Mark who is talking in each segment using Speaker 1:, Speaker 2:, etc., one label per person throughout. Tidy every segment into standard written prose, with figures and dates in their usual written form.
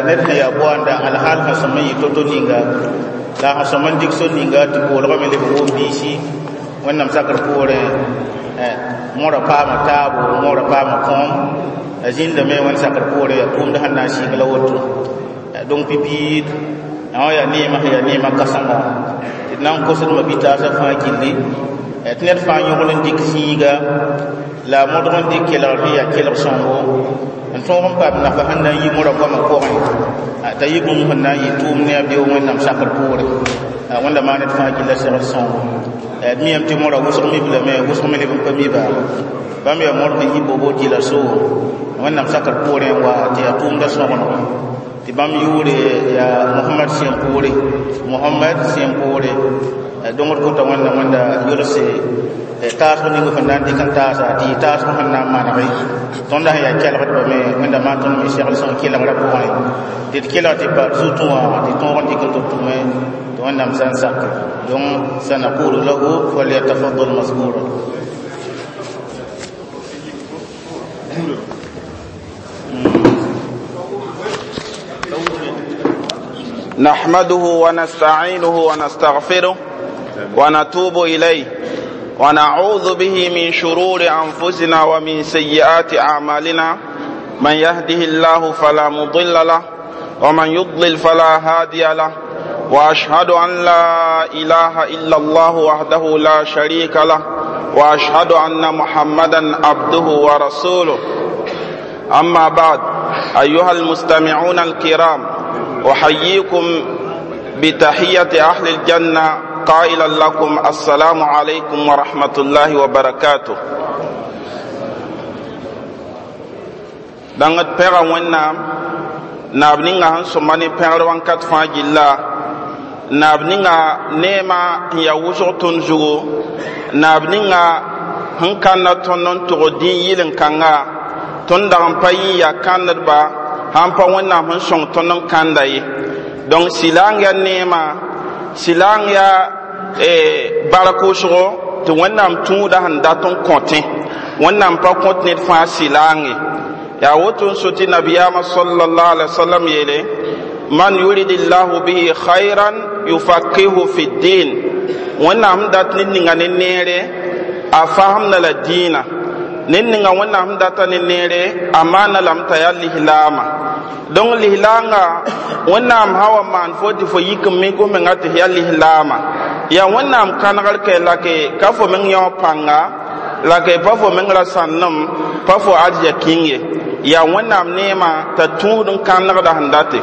Speaker 1: Ned sẽn yaa boanda alhaal sẽn sõm n yɩ to-to ninga la sẽn sõm n dɩk sor ninga tɩ boolgame leb n wom biisi wẽnnaam sakr poorẽ mõra paama taabo mõra paama kõom a zĩndame wẽnd sakr poorẽ yaa tʋʋmd sẽn na n sɩng la woto donc pipiid wã yaa neemã sẽn yaa neemã kãsenga tɩ d na n kosd ma-bi-taasã fãa gilli tɩ ned fãa yõgl n dɩk zĩiga la a modg n dɩk kelgr sẽn yaa kelg sõngo n tõog n paam nafa sẽn na n yi mõra goamã pʋgẽ t'a yɩ bũmb sẽn na n yɩ tʋʋm ne a beoog wẽnnaam sakr poore wẽnda maan ned fãa gilla segl sõngo d miyame tɩ mõra wʋsg mib lame wʋsg me leb n pa miba bãmb yaa mõr sẽn yi bobo dɩla soo wẽnnaam sakr poorẽ n wa tɩ yaa tʋʋmda sõgengo tɩ bãmb yʋʋre yaa mohamad sẽn poore mohamad sẽn poore dongd kota wẽnda wẽnda yolse taasg ning sẽn na n dɩk n taasa tɩ yɩ taasg sẽn na n manege tõnda sẽn yaa kelgdbame wẽnda maan tõnd me segl sẽn kelgrã pʋgẽ tɩ d kelg tɩ pa d zutẽ wã tɩ tõog n dɩk n tɩ tʋme tɩ wẽnnaam sã n sake donc sanaqulu lahu falyatafaddal maskura.
Speaker 2: نحمده ونستعينه ونستغفره ونتوب إليه ونعوذ به من شرور أنفسنا ومن سيئات أعمالنا. من يهده الله فلا مضل له ومن يضلل فلا هادي له، وأشهد أن لا إله إلا الله وحده لا شريك له، وأشهد أن محمدا عبده ورسوله. أما بعد، أيها المستمعون الكرام، أحييكم بتحية أهل الجنة قائلا لكم السلام عليكم ورحمة الله وبركاته. Dãng d pɛga wẽnnaam naab ninga sẽn sõma ne pẽgr wãnkat fãa gilla naab ninga neema n yaa wʋsg tõnd zugu naab ninga sẽn kãnna tõnd n tʋg dĩn yɩl-n-kãnga tõnd dag n pa yɩ n yaa kãndba sãn pa wẽnnaam sẽn sõng tõnd n kãnda ye. Donc sɩlaang yaa neema sɩlaang yaa bark wʋsgo tɩ wẽnnaam tũuda sẽn dat n kõtẽ wẽnnaam pa kõt ned fãa sɩlaang ye. Yaa woto n so tɩ nabiyaamã sallallahu alaihi wasallam yeele man yuridillahu bihi khayran yufaqihu fi ddin wẽnnaam sẽn dat ned ninga ne neere a fasemda la dĩinã ned ninga wẽnnaam sẽn data ne neere a maana lame t'a yaa lislaama. Donc lislaanga wẽnnaam sã wa maan fo tɩ fo yik n mik f menga tɩ f yaa lislaama yaa wẽnnaam kãnegr kɛ la ke ka fo meng yão pãnga la ke pa fo meng ra sãnnem pa fo arzɛk-kĩng ye yaa wẽnnaam neema t'a tũud n kãnegda sẽn date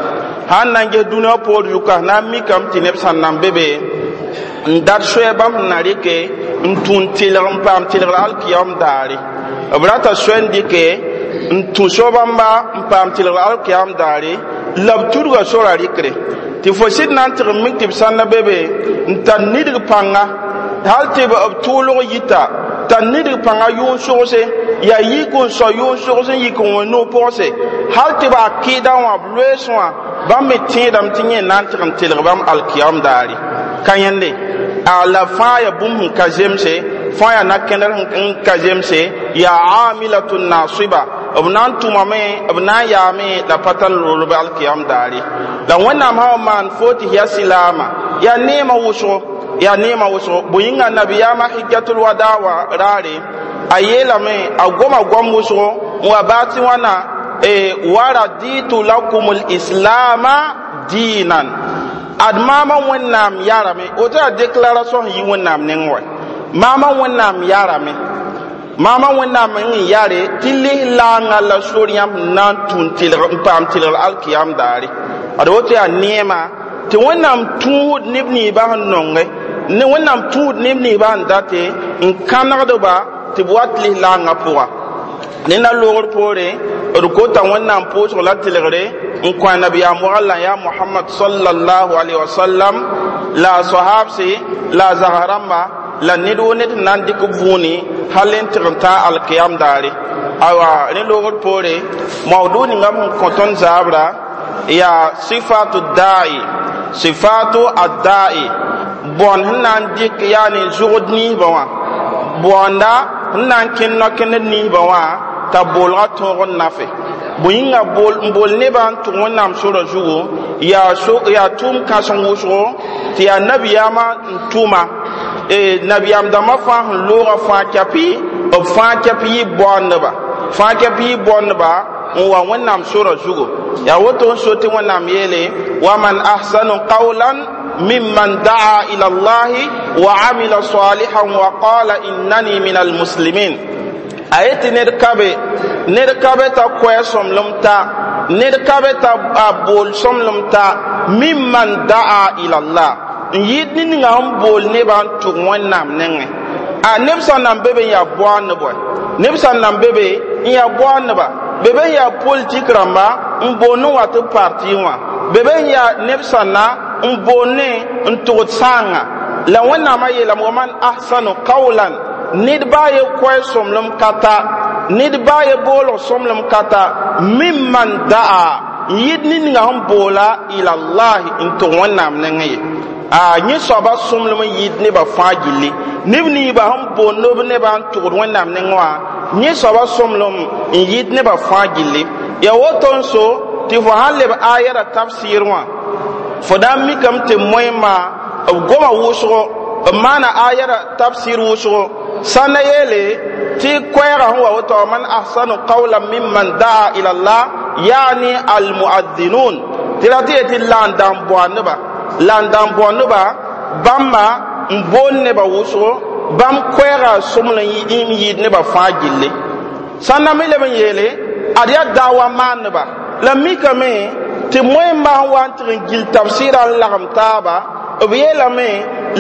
Speaker 2: sãn na n ges dũniyã poor zuka na n mikame tɩ neb sẽn nan be be n dat soɛɛ bãmb sẽn na rɩke n tũ n tɩlg n paam tɩlgr alkiyam daare b rata soɛ n dɩke n tũ so-bãmba n paam tɩlgr alkiyam daare la b tudga sora rɩkre tɩ fo sɩd na n tɩg n mik tɩ b sãnda be be n tar nidg pãnga hal tɩ b tʋʋlg yita tar nidg pãnga yʋʋn sogse yaa yik n sao yʋʋn sogs n yik n wẽ noog pʋgse hal tɩ b akɩɩdã wã b loees wã bãmb me tẽedame tɩ yẽ na n tɩg n telg bãmb alkiyam daare ka yẽnde a la fãa yaa bũmb sẽn ka zemse fãa yaa na-kẽndr n ka zemse yaa amilatun nasiba b na n tʋmame b na n yaame la pa tar loolb alkiyam daare la wẽnnaam sã wa maan fo tɩ yaa silaama yaa neemã wʋsgo yaa neemã wʋsgo bõe-yĩnga nabiyaamã hijjatul wada wa raare a yeelame a goma goam wʋsgo n wa baa tɩ wãna wa raditu lakum lislama diinan ad maama wẽnnaam yarame woto yaa déclaration sẽn yi wẽnnaam neng wa maama wẽnnaam yarame maama wẽnnaam n yare tɩ lislaangã la sor yãmb sẽn na n tũ n tɩlg n paam tɩlgr alkiyam daare ad woto yaa neema tɩ wẽnnaam tũud neb ninsbã sẽn nonge ne wẽnnaam tũud neb ninsbã sẽn date n kãnegdba tɩ b wat lislaangã pʋga ne na loogr poore d kota wẽnnaam pʋʋsg la tɩlgre n kõ a nabiyaam wagl la yaa mohamad sallallahu alaihi wasallam la a sahabse la a zags rãmba la ned wo ned sẽn na n dɩk vũuni hal n tɩg n tã alkiyam daare awa rẽ loogr poore maudu ninga sẽn kõ tõnd zaabra yaa sifatu da'i sifatu adda'i bõn sẽn na n dɩk yaani zʋgd ninsbã wã bõonda sẽn na n kẽnd no-kẽnd ninsbã wã t'a boolgã tõog n nafe. Bõe yĩnga n bool nebã n tʋg Wẽnnaam sorã zugu yaa yaa tʋʋm kãseng wʋsgo tɩ yaa nabiyaamã n tʋma nabiyaam dãmbã fãa sẽn loogã fãa kɛpɩ b fãa kɛp yɩ baoondba fãa kɛp yɩ baoondba n wa Wẽnnaam sorã zugu. Yaa woto n so tɩ Wẽnnaam yeele waman ahsanu qawlan mimman daa ila Allahi wa amila salihan wa qala innani min almuslimin. A yetɩ ned ka be, ned ka be t'a koɛɛ sõmblem ta, ned ka be t'a bool sõmblem ta mimman daa ila Allah n yɩɩd ned ninga sẽn bool nebã n tʋg Wẽnnaam nengẽ. A neb sã n nan be be n yaa boaandb wɛ, neb sã n nan be be n yaa boaandba, be be n yaa politik rãmba n boond n wa tɩ parti wã, be be n yaa neb sãnna n boond n tʋgd sãanga. La Wẽnnaamã yeelame waman ahsanu qawlan, ned baa ye koɛɛ sõmblem ka ta, ned baa ye boolg sõmblem ka ta mimman daa n yɩɩd ned ninga sẽn boola ilallahi n tʋg Wẽnnaam nengẽ ye. A yẽ soaba sõmblem n yɩɩd nebã fãa gilli, neb ninsbã sẽn boond b nebã n tʋgd Wẽnnaam nengẽ wã, yẽ soaba sõmblem n yɩɩd nebã fãa gilli. Yaa woto n so tɩ fo sãn leb aya ra tafsɩɩr wã, fo na n mikame tɩ moẽmã b goma wʋsgo b maana aya ra tafsɩɩr wʋsgo sã na yeele tɩ koɛɛgã sẽn wa woto man ahsanu qawlan mimman daa ila Allah yaani almuadhinun, tɩ ra tɩ yetɩ la n dãn boa nebã, la n dãn boa nebã bãmba n boond nebã wʋsgo, bãmb koɛɛgã sõmblem n yɩɩd nebã fãa gilli. Sã n na me leb n yeele ad yaa daawa maandba la mikame tɩ moẽmbã sẽn wa n tɩg n gil tafsɩɩrã n lagem taaba, b yeelame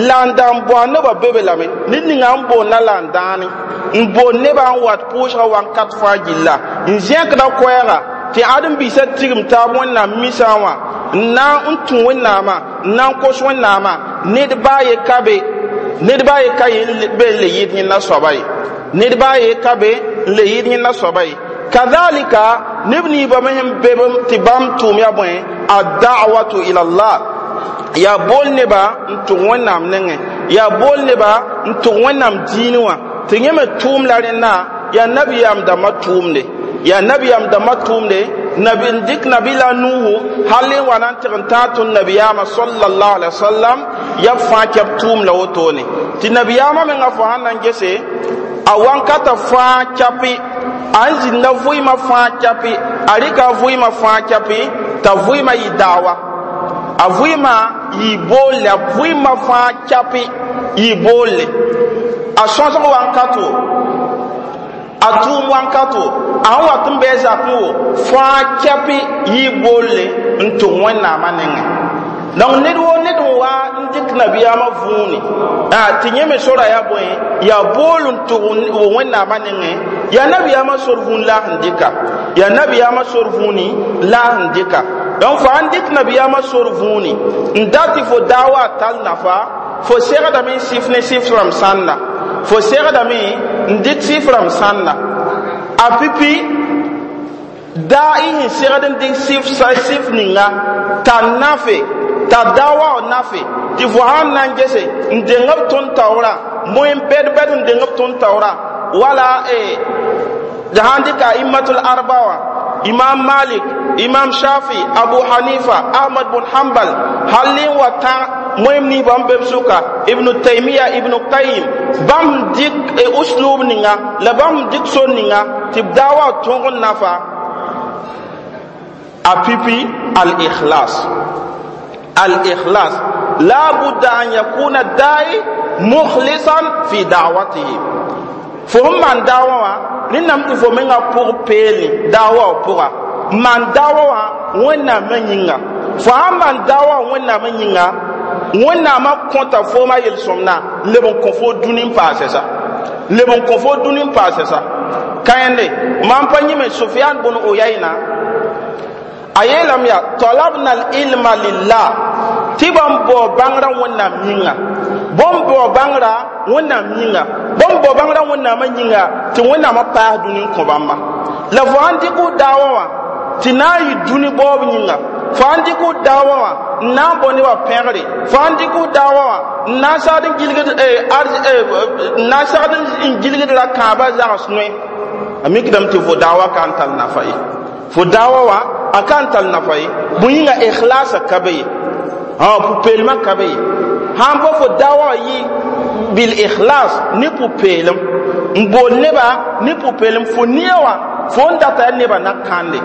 Speaker 2: la n dãn boa nebã be be lame ned ninga n boonda la n dãane n boond nebã n wat pʋʋsgã wakat fãa gilla n zẽkda koɛɛga tɩ ãdem-biisã tigim taab Wẽnnaam misã wã n na n tũ Wẽnnaamã n na n kos Wẽnnaamã. Ned baa ye ka be, ned baa ye ka ye be n le yɩɩd yẽnda soaba ye, ned baa ye ka be n le yɩɩd yẽnda soaba ye. Kadhalika neb ninsbã me sẽn be tɩ bãmb tʋʋm yaa bõe ad-da'watu ila Allah, yaa bool nebã n tʋg Wẽnnaam nengẽ, yaa bool nebã n tʋg Wẽnnaam diinẽ wã tɩ yẽ me tʋʋm la rẽnda yaa nabiyaam dãmbã tʋʋmde, yaa nabiyaam dãmbã tʋʋmde nabi n dɩk nabila Nuhu hal n wa na n tɩg n tãag tõnd nabiyaamã sallallahu alaihi wasallam yaa b fãa kɛb tʋʋm la wotone tɩ nabiyaamã menga fo sãn na n gese a wankata fãa kɛpɩ a n zĩnda vʋɩɩmã fãa kɛpɩ a rɩka a vʋɩɩmã fãa kɛpɩ t'a vʋɩɩmã yɩ daawa, a vʋɩɩmã yɩ boolle, a vʋɩɩmã fãa kɛpɩ yɩ boolle, a sõsg wankato, a tʋʋm wankato, a sẽn wat n bɩ a zakẽ wo fãa kɛpɩ yɩ boolle n tʋg Wẽnnaamã nengẽ. Donc ned woo ned n wa n dɩk nabiyaamã vũuni tɩ yẽ me sora yaa bõe yaa bool n tʋg Wẽnnaamã nengẽ, yaa nabiyaamã sor vũun la a sẽn dɩka, yaa nabiyaamã sor vũuni la a sẽn dɩka. Donc fo sãn dɩk nabiyaamã sor vũuni n dat tɩ fo daawa tall nafa, fo segdame n sɩf ne sɩf rãmb sãnda, fo segdame n dɩk sɩf rãmb sãnda a pipi daa y sẽn segd n dɩk sɩf ninga t'a nafe t'a daawa nafe tɩ fo sãn na n gese n deng b tõnd taoorã moẽ bɛd-bɛd n deng b tõnd taoorã wala sãn dɩka immatul arba wã, Imam Malik, Imam Shafi, Abu Hanifa, Ahmad bun Hanbal, hal n wa tã moẽm ninsbã n be b sʋka Ibnu Taimiya, Ibnu Qayim, bãmb dɩk uslub ninga la bãmb dɩk sor ninga tɩ b daawa tõog n nafa a pipi al-ikhlas. Al-ikhlas la budda an yakuna dai mukhlisan fi da'watihi. Fo sẽn maan daawa wã rẽndame tɩ fo menga pʋg peelẽ daawa wã pʋga maan daawa wã Wẽnnaamã yĩnga. Fo sãn maan daawa wã Wẽnnaamã yĩnga, Wẽnnaamã kõta foomã yel-sõmdã leb n kõ fo dũni n paase sa, leb n kõ fo dũni n paase sa. Kãende mam pa yĩme Sufyan bun Uyayna a yeelame yaa talabna al-ilma lillah, tɩ bãmb bao bãngrã Wẽnnaam yĩnga, bõmb bao bãngrã Wẽnnaam yĩnga, bõmb bao bãngrã Wẽnnaamã yĩnga tɩ Wẽnnaamã paas dũni n kõ bãmba. La fo sãn dɩk f daawa wã tɩ na n yɩ dũni baoob yĩnga, fo sãn dɩk f daawa wã n na n bao nebã pẽgre, fo sãn dɩk f daawa wã n na n sagd n gilgd n na n sagd n gilgd ra kãabã zags noe, a mikdame tɩ fo daawa ka n tall nafa ye. Fo daawa wã a ka n tall nafa ye. Bõe yĩnga ikhlasa ka be ye, pʋ-peelmã ka be ye. Sãn pa fo daawa wã yɩ bil ikhlas ne pʋ-peelem n bool neba ne pʋ-peelem, fo nia wã fo n data yaa nebã na kãnde,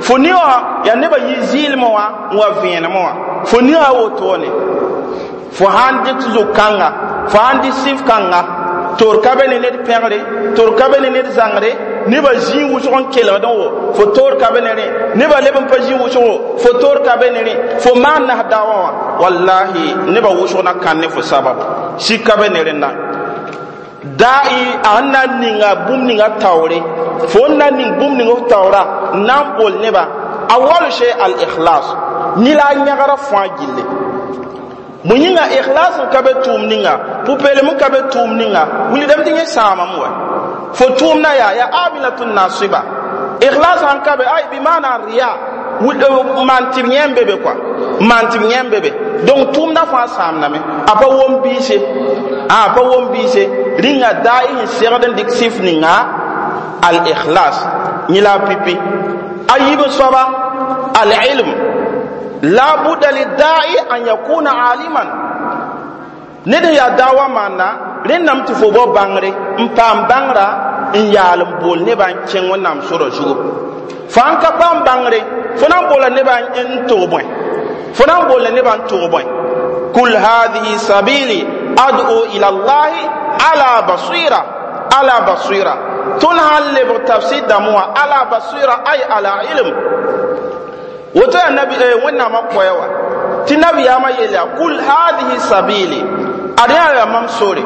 Speaker 2: fo nia wã yaa nebã yɩ zɩɩlmẽ wã n wa vẽenemẽ wã, fo nia wã wotone. Fo sãn dɩk zʋg-kãnga, fo sãn dɩ sɩf kãnga, toor ka be ne ned pẽgre, toor ka be ne ned zãngre, nebã zĩig wʋsg n kelgdẽ wo, fo toor ka be ne rẽ, nebã leb n pa zĩ wʋsgo, fo toor ka be ne rẽ, fo maan nas daawã wã, wallahi nebã wʋsg na kãn ne fo sabab, sik ka be ne rẽnda. Da'i a sẽn na n ninga bũmb ninga taoore, fo n na n ning bũmb ning f taoora n na n bool nebã, a wal shay al ikhlas ni la a yãgra fãa gilli. Bõe yĩnga ikhlas n ka be tʋʋm ninga, pʋ-peelem n ka be tʋʋm ninga, wilgdame tɩ yẽ sãamame wa. Fo tʋʋmdã yaa amilatun nasiba. Ikhlas sãn ka be, ay bi maana riya, maan tɩ b yẽ n be be kɔa, maan tɩ b yẽ n be be. Donc tʋʋmdã fãa sãamdame, a pa wom biise, a pa wom biise. Rĩnga daai sẽn segd n dɩk sɩf ninga al ikhlas yẽ la a pipi. A yiib soaba al ilm, la budda lidda'i an yakuna aliman. Ned n yaa daawa maanda, rẽndame tɩ fo bao bãngre n paam bãngra n yaal n bool nebã n kẽng Wẽnnaam sorã zugu. Fo sãn ka paam bãngre, fo na n boola nebã n tog bõe? Fo na n boola nebã n tog bõe? Kul hadhihi sabili ad'u ila Allahi ala basira, ala basira. Tõnd sãn lebg tafsir dãmb wã, ala basira ay ala ilm. Woto yaa nabi Wẽnnaamã koɛɛ wã tɩ nabiyaamã yeel yaa kul hadhihi sabili, ad yaa yaa mam sore,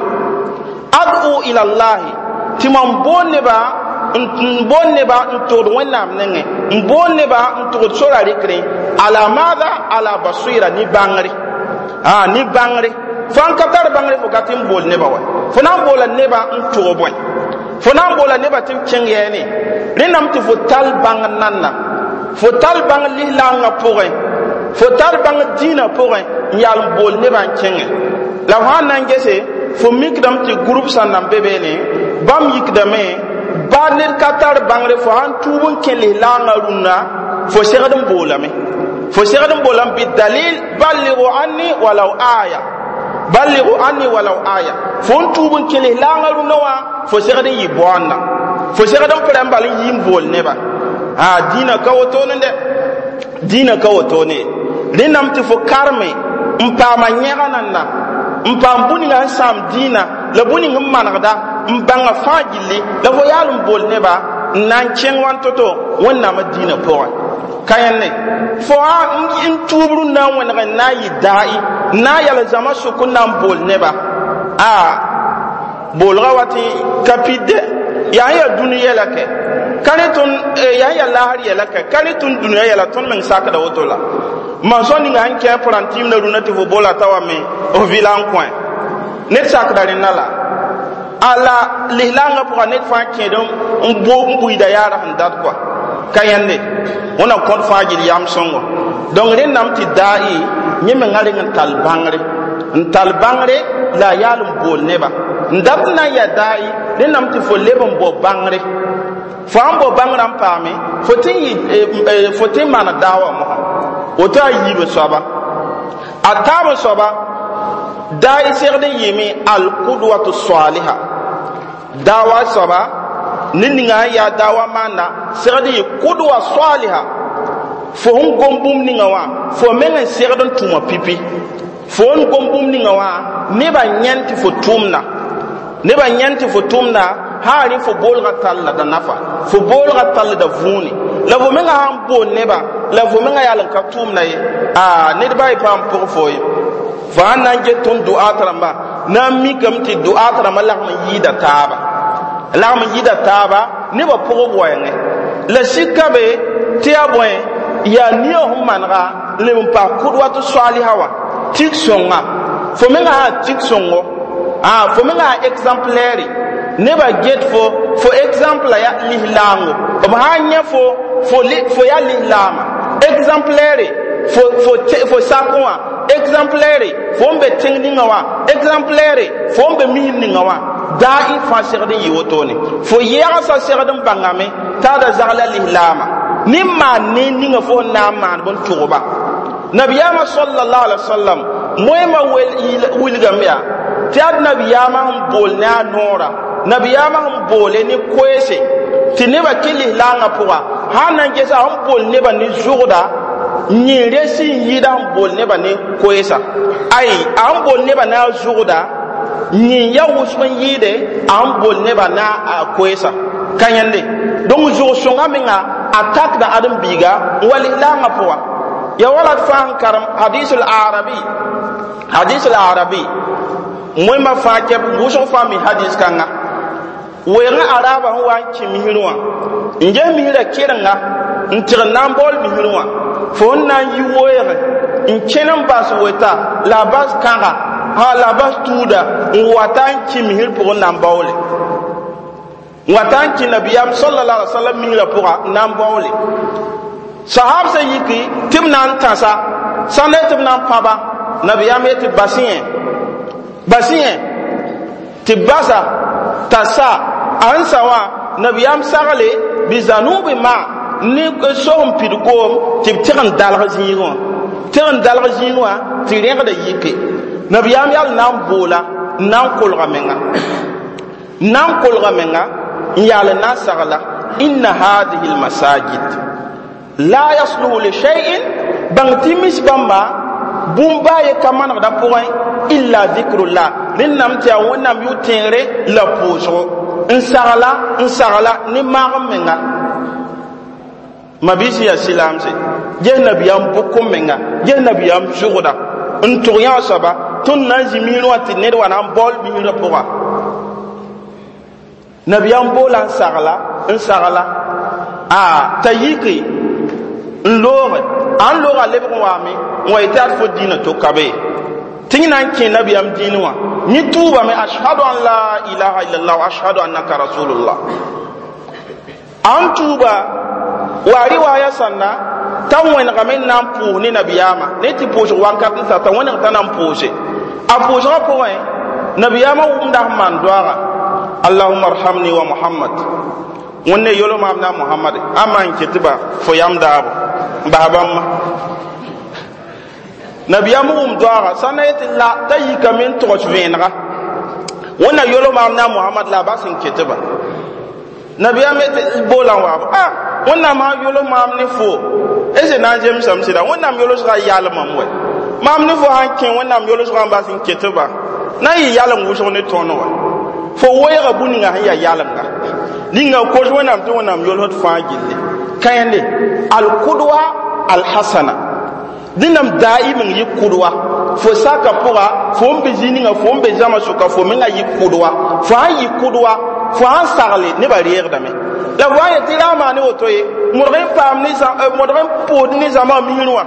Speaker 2: ad'u ila Allahi, tɩ mam bool nebã n bool nebã n togd Wẽnnaam nengẽ, n bool nebã n togd sora rɩkrẽ, ala maada ala basira, ne bãngre, ne bãngre. Fo sãn ka tar bãngre, fo ka tɩ n bool nebã wa, fo na n boola nebã n tog bõe? Fo na n boola nebã tɩ b kẽng yɛɛne. Rẽndame tɩ fo tall bãngr nanna, fo tar bãng lislaangã pʋgẽ, fo tar bãng dĩinã pʋgẽ n yaal n bool nebã n kẽngẽ. La fo sãn na n gese, fo mikdame tɩ group sã n nan be beene, bãmb yikdame ba ned ka tar bãngre, fo sãn tuub n kẽ lislaangã rũnnã, fo segd n boolame, fo segd n boolame bɩ dalil balligu anni walaw aya, balligu anni walaw aya. Fo n tuub n kẽ lislaangã rũnnã wã, fo segd n yɩ baoanda, fo segd n pʋrã n bal n yɩ n bool nebã. Dĩinã ka wotone dɛ, dĩinã ka wotone. Rẽndame tɩ fo karme n paama yẽga nanna, n paam bũ ninga sẽn sãam dĩinã la bũ ning n manegda n bãnga fãa gilli, la fo yaal n bool nebã n na n kẽng wãn to-to Wẽnnaamã dĩinã pʋgẽ. Ka yẽnne fo n tuub rũnnã n wẽneg n na n yɩ daai n na n yal zãma sʋk n na n bool nebã. Boolgã wa tɩ ka pid dɛ, yaa n yaa dũni yɛla kɛ, ka rẽ tõnd yaa n yaa laasr yɛla kɛ, ka rẽ tõnd dũniyã yɛla, tõnd meng sakda woto la. Mansõ ninga sẽn kẽ pʋrãntɩɩmdã rũnã tɩ fo boola t'a wa me f vɩla n kõ ned sakda rẽnda la ala lislaangã pʋga ned fãa kẽed n buiida yaara sẽn dat kɔa ka yẽnde wẽna kõt fãa gill yam sõngo. Donc rẽndame tɩ daai yẽ mengã reng n tall bãngre, n tall bãngre la a yaal n bool nebã n dat n na n yaa daai. Rẽndame tɩ fo leb n bao bãngre, fo sãn bao bãngrã n paame, fo tɩ n yɩ fo tɩ n maan daawa mosã woto. A yiib soaba, a taab soaba, daai segd n yɩɩme alqudwatu saliha. Daawa soaba ned ninga sẽn yaa daawa maanda segd n yɩ kudwa saliha. Fo sẽn gom bũmb ninga wã, fo meng n segd n tʋma pipi. Fo n gom bũmb ninga wã, nebã yãnd tɩ fo tʋʋmda, nebã yãnd tɩ fo tʋʋmda, sã rẽ fo boolgã tall da nafa, fo boolgã tall da võone. La fo mengã sãn bool nebã la fo mengã yaal n ka tʋʋmda ye, ned ba yɩ paam pʋg fo ye. Fo sãn na n get tõnd duaat rãmba na n mikame tɩ duaat rãmbã lagm n yɩɩda taaba, lagm n yɩɩda taaba nebã pʋg b waoongẽ la sika be tɩ yaa bõe, yaa nia sẽn manega leb n paas kʋd wat soaaliha wã tik sõnga. Fo mengã sã tik sõngo, fo mengã sã exemplaire, nebã get fo, fo exemple ya lislaango, b sãn yẽ fo, fo yaa lislaama exemplaire, fo fo fo sakẽ wã exemplaire, fo n be tẽng ninga wã exemplaire, fo n be mism ninga wã. Daa y fãa segd n yɩ wotone, fo yɛgsa segd n bãngame t'a da zagla lislaama. Ne maan ne ninga fo na n maan bõn tʋgba. Nabiyaamã sallallahu alaihi wasallam moẽmã wilgame yaa tɩ ad nabiyaamã sẽn bool ne a noora, nabiyaamã sẽn boole ne koeese tɩ nebã kɩ lislaangã pʋga, sã n na n gesa sẽn bool nebã ne zʋgda, yẽ res n yɩɩda sẽn bool nebã ne koeesa. Ay, a sẽn bool nebã ne a zʋgda, yẽ ya wʋsg n yɩɩde a sẽn bool nebã ne a koeesa ka yẽnde. Donc zʋg-sõngã menga a takda ãdem-biiga n wa lislaangã pʋga. Ya wala d fãa n karem hadisul arabi, hadisul arabi moẽmã fãa kɛb wʋsg fãa mi hadis kãnga. Weegã araaba sẽn wa n kẽ misrẽ wã, n ges misrã kɩrenga n tɩg n na n baool misrẽ wã, fo n na n yi weege n kẽn n bas weta la a bas kãga ha la a bas tuuda n wata n kẽ misr pʋgẽ n na n baoole, n wata n kẽ nabiyaam sallallahu alaihi wasallam misrã pʋga n na n baoole. Sahab sã yiki tɩ b na n tãsa sãnda tɩ b na n pãba, nabiyaam yetɩ bas yẽ, bas yẽ tɩ basa t'a sa a sẽn sa wã, nabiyaam sagle bizanubi ma ne so n pid koom tɩ b tɩg n dalg zĩigẽ wã, tɩg n dalg zĩigẽ wã tɩ rẽgda yike. Nabiyaam yal na n boola n na n kolga menga, n na n kolga menga n yaal n na n sagla: inna hadihi lmasajid la yasluhu li shay'in, bãng tɩ mis bãmba bũmb baa ye ka manegda pʋgẽ illa zikrullah, rẽnnam tɩ yaa Wẽnnaam yʋ-tẽegre la pʋʋsgo. N sagla, n sagla ne maag n menga. Mabiisi yaa silaamse, ges nabiyaam bʋk n menga, ges nabiyaam zʋgda n tʋg yã soaba tõnd na n zĩ misrẽ wã tɩ ned wa na n baool misrã pʋga. Nabiyaam boola n sagla, n sagla a t'a yiki n looge, a n looga lebg n waame n wa yetɩ ad fo dĩinã to ka be tɩ yẽ na n kẽ nabiyaam dĩinẽ wã. Yẽ tuubame: ashhadu an la ilaha illallah wa ashhadu annaka rasulullah. A n tuuba wa riwaya sãnda t'a wẽnegame n na n pʋʋs ne nabiyaamã ne tɩ pʋʋsg wakat n sa t'a wẽneg t'a na n pʋʋse. A pʋʋsgã pʋgẽ, nabiyaamã wʋmda sẽn maan doaaga: allahumma arhamni wa Muhammad, wẽnde yolo maam na Muhammad a maan ket ba fo yam daabo n bas bãmba. Nabiyaam wʋm doaaga sãnda yetɩ la t'a yikame n togs vẽenega: wẽnna yolo maam na Muhammad la a bas n ket ba. Nabiyaam yetɩ boola n waabo: a Wẽnnaam sã yolo maam ne fo ese na n zemsame sɩda Wẽnnaam yolsgã yal mam wɛ, maam ne fo sãn kẽ Wẽnnaam yolsgã n bas n ket ba na n yɩ yalem wʋsg ne tõnd wa, fo weeega bũ-ninga sẽn yaa yalemga ninga kos Wẽnnaam tɩ Wẽnnaam yolsd fãa gilli. Ka yẽnde alkudwa alhasana dẽnnaam daim n yɩ kʋdwa fo saka pʋga, fo n be zĩ ninga fo n be zãma sʋka, fo menga yɩ kʋdwa. Fo sãn yɩ kʋdwa, fo sãn sagle nebã reegdame la fo sãn yetɩ ra maane woto ye, modg n paam ne modg n pʋʋsd ne zãma misrẽ wã,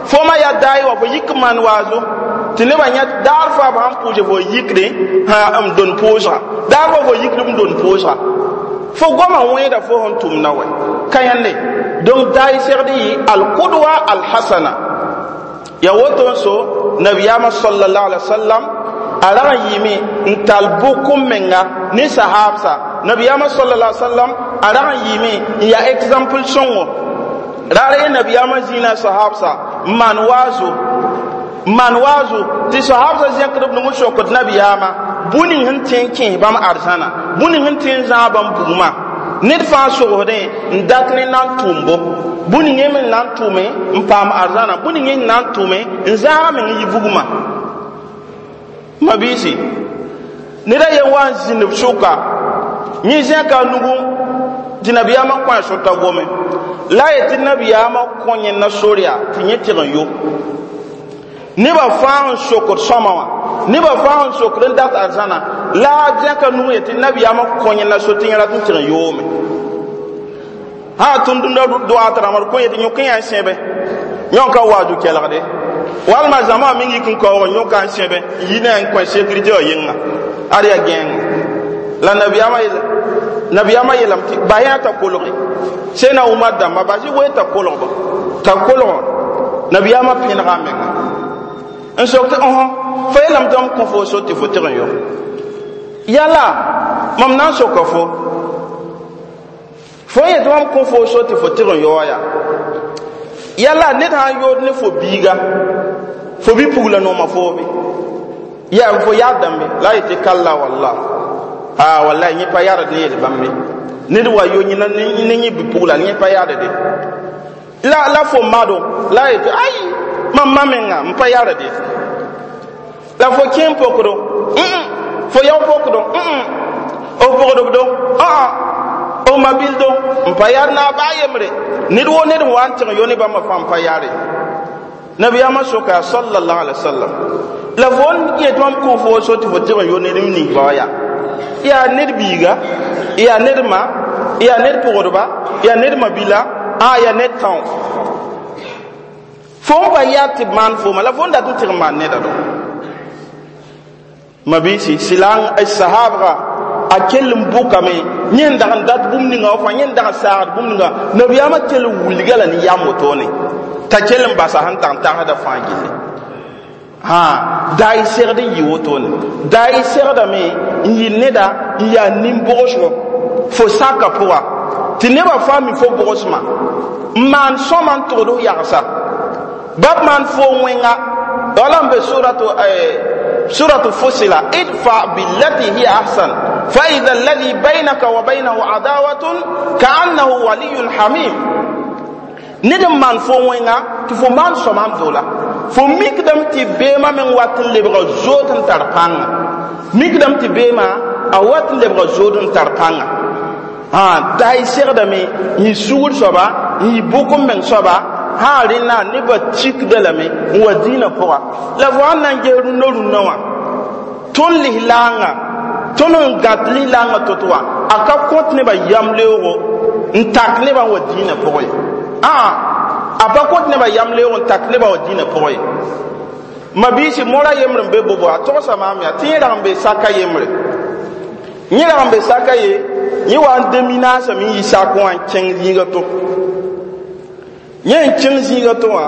Speaker 2: fo ma yaa daay wa fo yik maan waazo tɩ nebã yã daar faa b sãn pʋʋse fo yikde n dõn pʋʋsga, daar fo fo yikd n dõn pʋʋsga, fo goamã wẽeda fo sẽn tʋmda wɛ ka yẽnde. Donc daay segd yɩ alqudwa alhasana. Ya woto n so nabiyaamã sallallahu alaihi wasallam a rag n yɩɩme n tall bʋk n menga ne sahaabsa. Nabiyaamã sallallahu alaihi wasallam a rag n yɩɩme n yaa exemple sõngo raar ye. Nabiyaamã zĩna sahaabsa n maan waazo, n maan waazo tɩ sahaabsã zẽkd b nug n sokd nabiyaamã bũ-ning sẽn tõe n kẽes bãmb arzãna, bũ-ning sẽn tõe n zãag bãmb bugmã. Ned fãa sogsdẽ n dat ne na n tʋʋm bo bũ-ning me n na n tʋʋme n paam arzãna, bũ-ning n na n tʋʋme n zãaga meng n yɩ bugmã. Mabiisi, ned a yen wa n zĩnd b sʋka, yẽ zẽka a nugu tɩ nabiyaamã kõ a sota gome la a yetɩ nabiyaamã kõ yẽnda sor yaa tɩ yẽ tɩg n yo. Nebã fãa n sokd sõma wã, nebã fãa n sokd n dat arzãna la a zẽka nug yetɩ nabiyaamã kõ yẽnda so tɩ yẽ rat n tɩg n yoome. Sã tʋmtʋmda doaat rãmb d kõ yetɩ yõk n yaa n sẽbe yõka wazu kelgde walma zãma meng yik n kaoog yõka n sẽbe n yi ne n kõ sécurité wã yɩnga ad yaa gẽenga la nabiyaamã yeelame tɩ bas yã t'a kolge sẽna Umar dãmba bas y wee t'a kolgba t'a kolg. Nabiyaamã pẽnega a menga n sok tɩ õ fo yeelame tɩ m kõ fo so tɩ fo tɩg n yo yala mam na n soka fo. Fo yet mam kõ fo so tɩ fo tɩg n yaoa yaa yala ned sã n yood ne fo biiga fo bi-pugla nooma foobe yaa fo yaadame la a yetɩ kalla walla a wallahi yẽ pa yaad ne yel bãmbe ned wa yo yẽna ne yẽ bi-pugla yẽ pa yaadde la fo mado la a yetɩ ay mam ma menga n pa yaadde la fo kẽen pokdo fo yao pokdo f pogdbdo f mabildo n pa yaad na a baa yembre ned woo ned n wa n tɩg yo ne bãmba fãa n pa yaare nabiyaamã soka sallallahu alaihi wasallam la fo n yet mam kõ fo so tɩ fo tɩg n yo ned m ninsba wã yaa yaa ned biiga yaa ned ma yaa ned pogdba yaa ned mabila a yaa ned tão fo n pa yaad tɩ b maan fooma la fo n dat n tɩg n maan neda do mabiisi sɩla sahabga a kell n bʋkame yẽ n dag n dat bũmb ninga wã fãa yẽ n dag n saagd bũmb ninga nabiyaamã kell n wilga la ne yam wotone t'a kell n basa sẽn tag n tagsda fãa gilli hã daa y segd n yɩ wotone daa y segdame n yɩ neda n yaa nin-bogsgo fo saka pʋga tɩ nebã fãa mi fo bogsmã n maan sõma n togd f yagsa bab maan fo wẽnga wala n be suratu fusila idfa billati hiya ahsan fa idha alladhi baynaka wa baynahu adawatun ka'annahu waliyun hamim ned n maan fo wẽnga tɩ fo maan sõma n dola fo mikdame tɩ beemã meng wat n lebga zood n tar pãnga mikdame tɩ beemã a wat n lebga zood n tar pãnga daa y segdame n yɩ sugr soaba n yɩ bʋk n meng soaba sã rẽnna nebã tikda lame n wa dĩinã pʋga la fo sãn na n ges rũndã rũndã wã tõnd lislaangã tõnd n gãt lislaangã to-to wã a ka kõt nebã yam leoogo n tak nebã n wa dĩinã pʋgẽ ye a pa kõt nebã yam leoog n tak nebã wa dĩinã pʋgẽ ye mabiisi mora yembr n be bobo a togsa maam yaa tɩ yẽ rag n be saka yembre yẽ rag n be saka ye yẽ wa n deminaasame n yi sak wã n kẽng zĩiga to yẽ n kẽng zĩiga to wã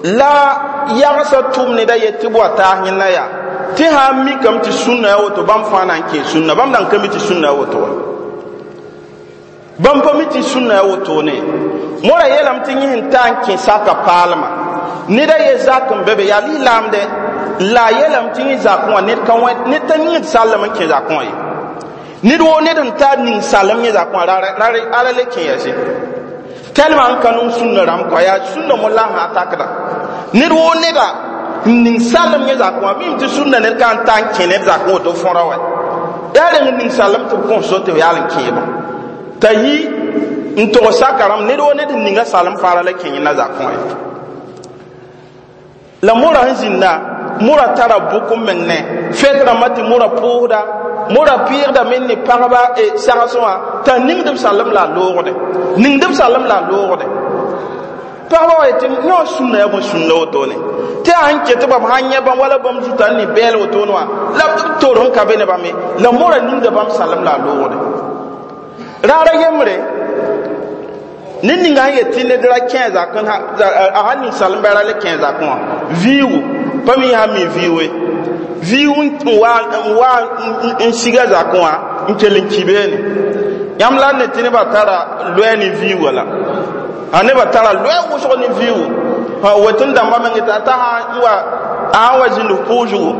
Speaker 2: la yagsã tʋm neda yet tɩ b wa taas yẽnda yaa tɩ sã n mikame tɩ sũnna yaa woto bãmb fãa na n kee sũnna bãmb nan ka mi tɩ sũnna yaa woto wa bãmb pa mi tɩ sũnna yaa wotone mora yeelame tɩ yẽ sẽn ta n kẽ saka paalmã neda ye zak n be be yaa lislaamdɛ la a yeelame tɩ yẽ zakẽ wã ned ka wẽ ned t'a yĩgd sallem n kẽ zakẽ wã ye ned woo ned n tar ning salem yẽ zakẽ wã ra le kẽ yɛse tɛlmã n ka nong sũnna rãmb kɔa yaa sũnna mo la sã takda ned woo neda n ning salem yẽ zakẽ wã mim tɩ sũnna ned ka n ta n kẽ ned zakẽ woto fõra wa yaa reng n ning salem tɩ b kõs so tɩ b yaal n kẽebã t'a yi n tog saka rãmb ned woo ned n ninga salem fãa ra la kẽ yẽnda zakẽ wã ye la mora sẽn zĩnda mora tara bʋk n meng ne fɛd rãmbã tɩ mora pʋʋsda mora pɩɩgda me ne pagba sagsẽ wã t'a ningd b salem la a loogde ningd b salem la a loogde pagba wa yetɩ yõ sũnna yaa bõe sũnna wotone tɩ a sẽn ket bãmb sãn yẽ bãmb wala bãmb zuta n ne bɛɛl wotone wã la b toor sẽn ka be ne bãmbe la mora ningda bãmb salem la a loogde raara yembre ned ninga sẽn yet tɩ ned ra kẽ zakẽ a sãn ning salemba ra le kẽ zakẽ wã viigu pa mi sã mi viiwe viigu n wa n siga zakẽ wã n kell n ki beene yãmb la ne tɩ nebã tara loɛɛ ne viiga la a nebã tara loɛɛ wʋsg ne viigu wetẽn dãmbã meng t'a sã n wa a sã wa zĩnd f pʋʋg zugu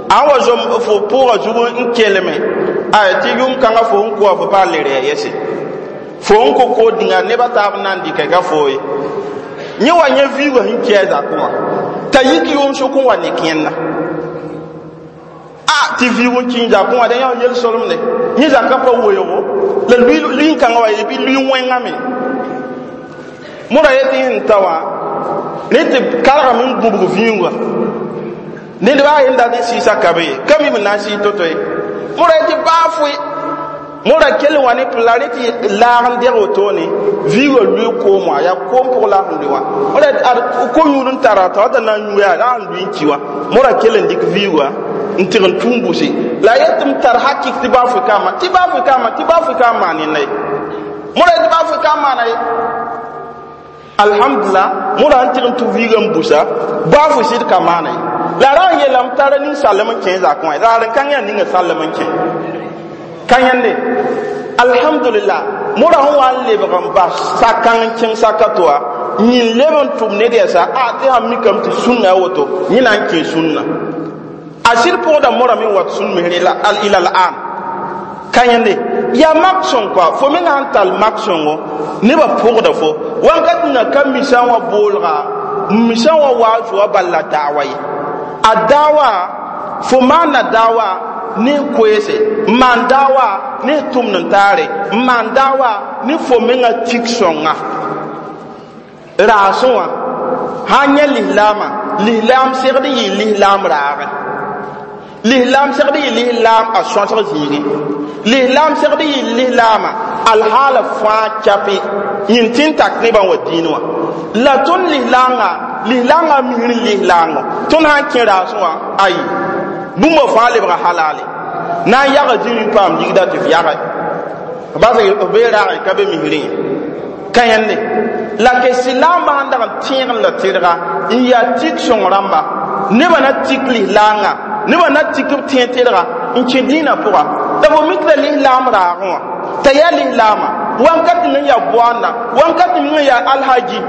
Speaker 2: a sã wa zom fo pʋʋgã zugu n kelme a tɩ yʋm kãngã fo sẽn koa fo pa le rɩ a yɛse fo n ko kood ninga nebã taab n na n dɩka ka fo ye yẽ wa yẽ viigã sẽn kɛ a zakẽ wã t'a yik yʋʋm sʋk n wa ne kẽnda a tɩ viig n kĩig zakẽ wã dẽ yã yel solemde yẽ zakã pa weoogo la lui-kãngã wa ye bɩ lui wẽngame mora yetɩ sẽn ta wã rẽ tɩ kargame n gũbg vĩuugã ned baa yen dat n sɩɩsa ka be ye ka mi b na n sɩɩ to-to ye mora yetɩ baa foe mora kell wa ne la rẽ tɩ laag n deg wotone viigã lʋɩ koom wã yaa koom pʋg la sẽn lʋɩ wã mora ad ko-yũud n tara t'a wata na n yũ yaa la sẽn lʋɩ n ki wã mora kell n dɩk viigã n tɩg n tũum buse la a yet tɩ m tar hakik tɩ baa foe ka ma tɩ baa foe ka ma tɩ baa foe ka n maan yẽnda ye mora yetɩ baa foe ka n maana ye alhamdulillah mora n tɩg n tʋ viigã n busa baa foe sɩd ka maana ye la ra n yeelame tara ning sallem n kẽ zakẽ wã raar n kãng yaa ninga sallem n kẽ ka yẽnde alhamdulillah Mõra sẽn wa n lebg n bas sakãng n kẽng saka to wã, yĩn leb n tʋm ned yɛsa a tɩ sãn mikame tɩ sũnna a woto, yẽ na n kẽ sũnna. A sɩd pʋgda mõrame n wat sũn misr ila l an ka yẽnde yaa mak sõng kɔa. Fo meng sãn tall mak sõngo, nebã pʋgda fo wãnkat na ka misã wã boolga misã wã waa zoa bal la daawa ye. A daawa, fo maanda daawa ne koeese, n maan daawa ne tʋmd n taare, n maan daawa ne fo menga tik sõnga raasẽ wã. Sãn yẽ lislaamã, lislaam segd n yɩ lislaam raagẽ, lislaam segd yɩ lislaam a sõsg zĩigẽ, lislaam segd yɩ lislaamã alhaala fãa chape yĩn tɩ n tak nebã n wa dĩin wã. La tõnd lislaangã, lislaangã misr lislaango, tõnd sãn kẽ raasẽ wã, ayi, bũmba fãa lebga halale, na n yaga zĩri n paam ligda tɩ f yage bas b bee raagẽ ka be misrẽ ye ka yẽnde. La ke silaambã sãn dag n tẽeg n la tɩrga n yaa tik sõng rãmba, nebã na tik lislaangã, nebã na tik b tẽeg tɩrga n kẽ dĩinã pʋga. La fo mik la lislaam raagẽ wã t'a yaa lislaamã wãnkat ning yaa boanda, wãnkat ning yaa alhaji,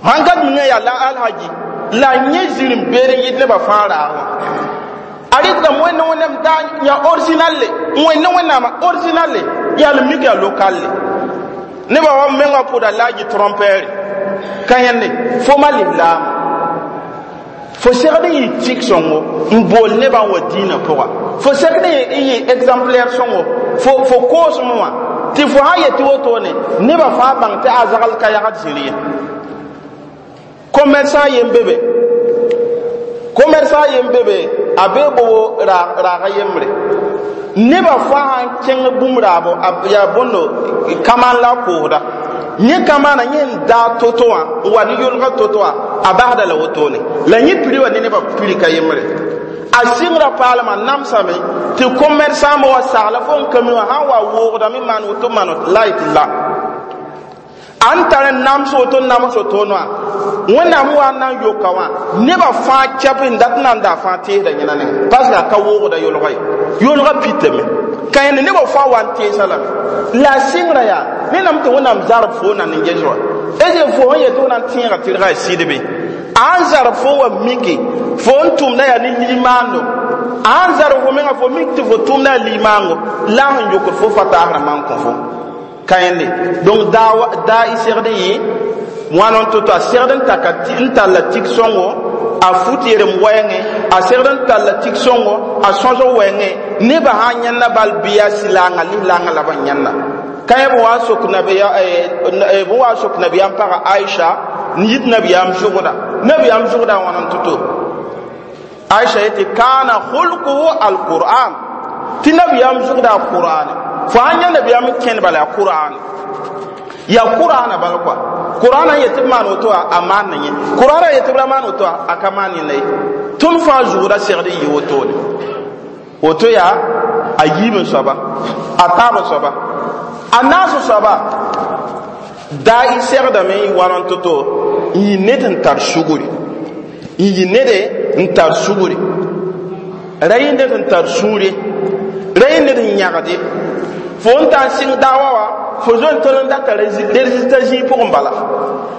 Speaker 2: wãnkat ning yaa la alhaji, la yẽ zĩr n beer n yɩt nebã fãa raag wã. A rɩkdame wẽnd wẽnnaam daa yaa original le, wẽnd wẽnnaamã original le, yaa la mik yaa local le. Nebã wa mengã pʋda laaji trompɛɛre ka yẽnde. Fo ma lislaamã, fo segd n yɩ tik sõngo n bool nebã n wa dĩinã pʋga, fo segd n yɩ exemplaire sõngo, fo koosem wã tɩ fo sã yetɩ wotone, nebã fãa bãng tɩ a zagl ka yagd zĩr ye. Commerçant yen bebe, commerçant yen bebe, a be bobo raaga yembre, nebã fãa sãn kẽng bũmb raabo yaa bõndo kamaan la a koosda, yẽ kamaana yẽ n daa to-to wã n wa ne yolga to-to wã, a basda la wotone, la yẽ piri wa ne nebã piri ka yembre. A sɩngrã paalmã namsame tɩ commerçant wa sagla fo n ka mi wã sãn wa woogdame maan woto maan la yetɩ la an tar n nams woto nams woto wã, wẽnnaam wa n na n yoka wã, nebã fãa kɛp n dat n na n daa fãa teesda yẽna nengẽ, parce que a ka woogda yolga ye, yolga pitame ka yẽnd, nebã fãa wa n teesa lame. La a sɩngrã yaa nennam tɩ wẽnnaam zarb fo na n ges wã est fo sẽn yetɩ wẽnnaam tẽega tɩrga ya sɩdbe, a n zarb fo wa miki fo n tʋmda yaa ne limaando, a n zarb fo menga fo mik tɩ fo tʋmda yaa limaango, la a sẽn yokd fo fa taasrã maan kõ fo ka yẽnde. Donc daa y segd n yɩ wãn n to-to, a segd n taka n tall tik sõngo, a fut yerem wɛɛngẽ, a segd n tall tik sõngo, a sõsg wɛɛngẽ, nebã sã n yãnna bal bɩ yaa sɩlaangã lislaangã la b n yãnna ka yẽ. B wa n sok nabiyaam paga Aisha n yit nabiyaam zʋgda, nabiyaam zʋgda wãn n to-to. Aisha yetɩ kaana khulquhu alquran, tɩ nabiyaam zʋgda a qur'ane, fo sãn yã nabiyaam n kẽnd bala yaa qur'ane, yaa qur'ana bala kɔa. Qur'ana n yetɩ b maan woto, a maan na yẽ, qur'ana yetɩ b ra maan woto, a ka maan yẽnda ye. Tõnd fãa zʋgda segd n yɩ wotone. Woto yaa a yiib n soaba, a taab n soaba, a naas n soaba. Daa y segdame n wãn n to-to n yɩ ned n tar sugri, n yɩ ned n tar sugri, ra yɩ ned n tar sũure, ra yɩ ned n yãgde. Fo n tar n sɩng daawa wã, fo zo n tol n data résultat zĩig pʋgẽ bala,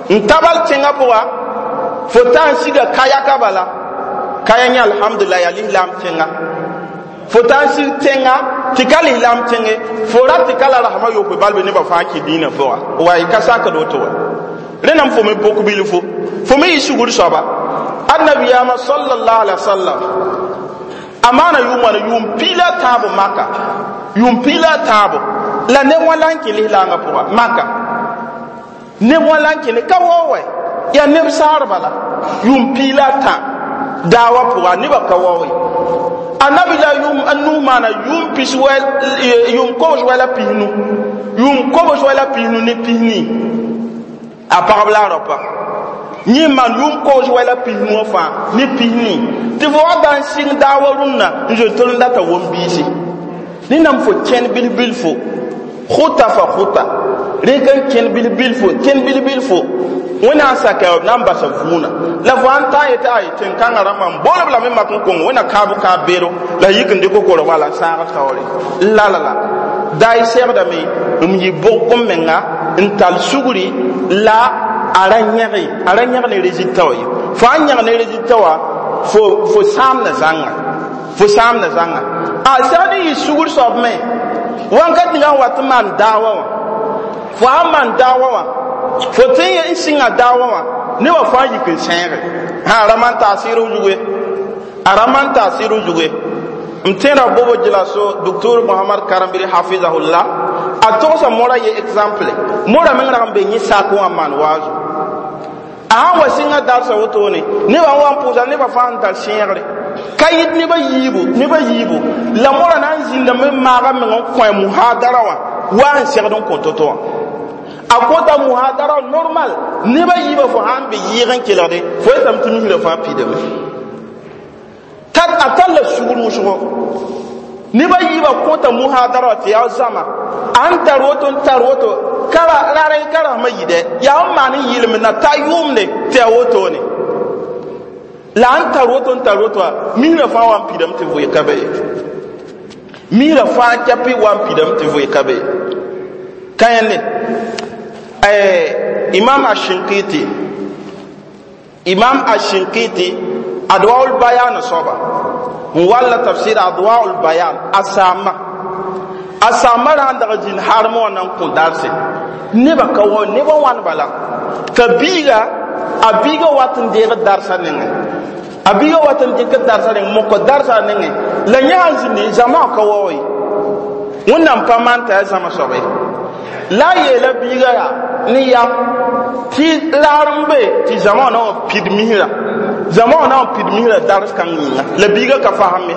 Speaker 2: n tabal tẽngã pʋga, fo tar n siga kayaka bala, kaya yẽ alhamdulillah yaa lislaam tẽnga, fo tar n sig tẽnga tɩ ka lislaam tẽnge, fo rat tɩ ka la rasmã yopoe balbe nebã fãa kɩ dĩinã pʋga wa y ka sakd woto wa. Rẽndame fo me bok bilfo, fo me yɩ sugr soaba. Annabiyaamã sallallahu alaihi wasallam a maana yʋʋm wãna yʋʋm piila tãabo maka, yʋʋm piila tãabo, la neb wã la n kẽ lislaangã pʋga maka, neb wã la n kẽne ka wao wɛ, yaa neb saar bala yʋʋm piila tã daawa pʋga, nebã ka wao ye. Annabi la yʋʋm a nuu maana yʋʋm pis wɛ, yʋʋm kobs wɛ la pisnu, yʋʋm kobs wɛ la pisnu ne pisni a pagb la a raopa yẽ maan yʋʋm kobs wɛ la pisnu wã fãa ne pisni, tɩ fo wa da n sɩng daawa rũnnã n zoe tol n data wom biisi. Rẽndame fo kẽn bil-bilfo, khuta fa khuta, rẽk n kẽn bil-bilfo, kẽn bil-bilfo, wẽnnaam saka b na n basa vũuna. La fo sãn taa yetɩ ay tẽn-kãngã rãmbã n boolb lame mak n kong wẽnna kãab kãab beero la yik n dɩk korg wala n sãag taoore la la la. Daay segdame m yɩ bʋg m menga n tall sugri la a ra yẽge, a ra yẽg ne résultat wã ye. Fo sãn yẽg ne résultat wã, fo sãamda zãnga, fo sãamda zãnga. A segd n yɩ sugr soab me wãnkat ninga n wat n maan daawa wã. Fo sãn maan daawa wã, fo tɩ n sɩnga daawa wã, nebã fãa yik n sẽege. A ra maan taasɩɩr f zugu ye, a ra maan taasɩɩr f zugu ye. M tẽeda bobo gela so docteur Mohamad Karambiri hafizahullah, a togsa mora ye exemple. Mora meng rag n be yẽ sak wã n maan waazo. A sãn wa sɩnga darsa wotone, nebã n wa n pʋʋsa, nebã fãa n tar sẽegre ka yɩt nebã yiibu, nebã yiibu. La mora na n zĩndame n maaga meng n kõ muhadara wã wa n segd n kõ to-to wã. A kõta muhadara normal, nebã yiibã. Fo sãn be yɩɩg n kelgde, fo yetame tɩ misrã fãa pidame. A talla sugr wʋsgo, nebã yiibã kõta muhadara wã tɩ yaa zãma. A n tar woto, n tar woto, kara rarẽ karasmã yɩdɛ yaa n maan n yɩlem na ta yʋʋmde tɩ yaa wotone. La n tar woto, n tar woto wã, misrã fãa wa n pidame tɩ vʋɩ ka be ye. Misrã fãa kɛpɩ wa n pidame tɩ vʋɩ ka be ye. Ka yẽnde Imam Ashinkiti, Imam Ashinkiti, Adwaul Bayan soaba n walla tafsir Adwaul Bayan, a saama, a saama ra n dag zĩnd harem wã na n kõ darse. Nebã ka wa nebã wãn bala t'a biiga, a biiga wat n deeg darsa nengẽ, a biiga wat n dɩk darsa nengẽ, moko darsa nengẽ. La yẽ sãn zĩndi, zãma ka wa ye. Wẽnnaam pa maan t'a yaa zãma soaba ye. La a yeela biiga yaa ne yam tɩ laar n be tɩ zãma wã na wa pid misrã, zãma wã na wa pid misrã dars kãng yĩnga. La biiga ka fasem ye,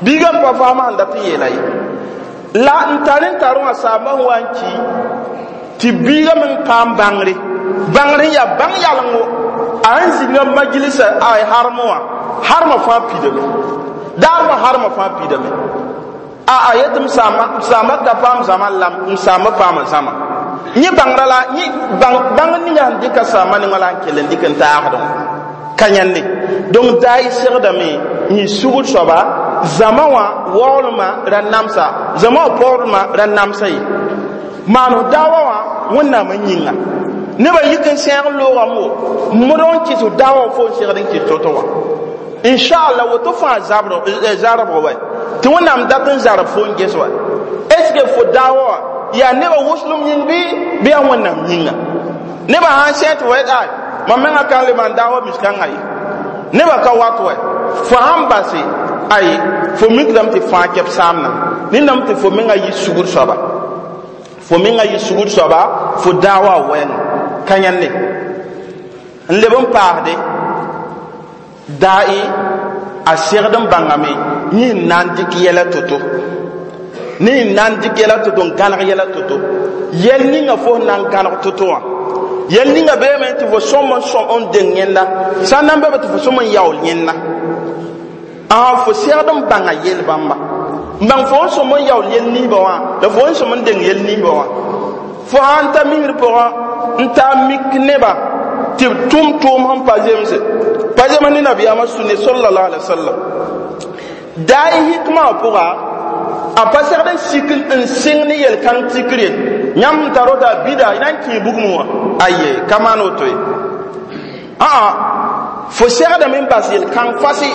Speaker 2: biiga n pa fasem sẽn dat n yeela ye. La n tar n tar wã, saamba sẽn wa n ki tɩ biiga meng paam bãngre, bãngr n yaa bãng yalengo. A sẽn zĩnga majlisa a harem wã, harmã fãa pidame, daarmã harmã fãa pidame. A yetɩ m saamba ka paam zãma lam, m saamba paama zãma. Yẽ bãngrã la yẽ bãng ninga sẽn dɩka saamba nengã la n kell n dɩk n taagdẽ wã ka yãnde. Donc daay segdame yẽ sugr soaba, zãma wã waoolmã ra namsa, zãma wã paoodmã ra namsa ye. Maan daawa wã Wẽnnaam n yĩnga, nebã yik n sẽeg n loogame wo mod n kɩs daawa fo n segd n kɩs to-to wã. Inchallah, woto fãa zarb wa tɩ Wẽnnaam dat n zarb fo n ges wa. Est ce que fo daawa wã yaa nebã wʋslem yĩng bɩ yaa Wẽnnaam yĩnga? Nebã sãn sẽ tɩ wa ay mam menga kan le maan daawa miskãngã ye, nebã ka wat wa. Fo sãn base ay, fo mikrame tɩ fãa kɛp saamna nendame tɩ fo menga yɩ sugr soaba, fo menga yɩ sugr soaba, fo daawa wɛɛngã ka yãnde. N leb n paasde dae a segd n bãngame yẽ n na n dɩk yɛla to-to, ne n na n dɩk yɛla to-to, n gãneg yɛla to-to. Yɛl ninga fo sẽn na n gãneg to-to wã, yɛl ninga beeme tɩ fo sõm n sõm n deng yẽnda, sã n na n be tɩ fo sõm n yaool yẽnda. A fo segd n bãnga yel bãmba, n bãng fo n sõm n yaool yel ninsbã wã, la fo n sõm n deng yel ninsbã wã. Fo sãn ta misr pʋgã n taa mik nebã tɩ b tʋm tʋʋm sẽn pa zemse, pa zems ne nabiyaamã sũnne sallallahu alaihi wasallam. Daay hikmã wã pʋga, a pa segd n sik n sɩng ne yel-kãng tikr ye. Yãmb n tar woto a bida na n kẽe bugmẽ wã, aye, ka maan woto ye. Aa fo segdame n bas yel-kãng fasi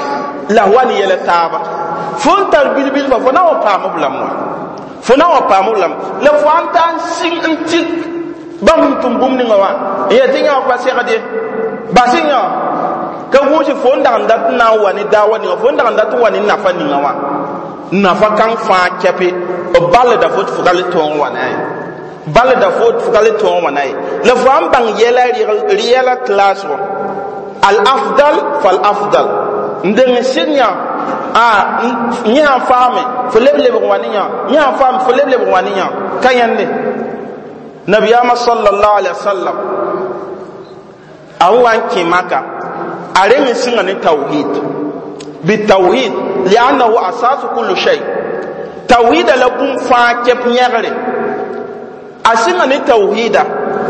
Speaker 2: la wa ne yɛla taaba. Fo n tar bil-bilfã, fo na wa paam b lame wã, fo na wa paam b lame. La fo sãn ta n sɩng n tik bãmb n tʋm bũmb ninga wã n yaa tɩ yã wã pa segd ye, bas yã ka gũusi. Fo n dag n dat n na n wa ne daawa ninga, fo n dag n dat n wa ne nafa ninga wã, nafa kãng fãa kɛpe b ballda fo tɩ fo ka le tõog wa ne a ye, ballda fo tɩ fo ka le tõog wã na ye. La fo sãn bãng yɛla yɛla classe wã, al afdal fal afdal n deng n sɩd yã a yẽ sãn faame, fo leb lebg wa ne yã, yẽ sãn faame, fo leb lebg wa ne yã. Ka yãnde nabiyaamã sallallahu alaihi wasallam a wa n kẽ Maka, a reng n sɩnga ne tawhid, bitawhid liannahu asasu kullu shay. Tawhida la bũmb fãa kɛp yẽgre. A sɩnga ne tawhida,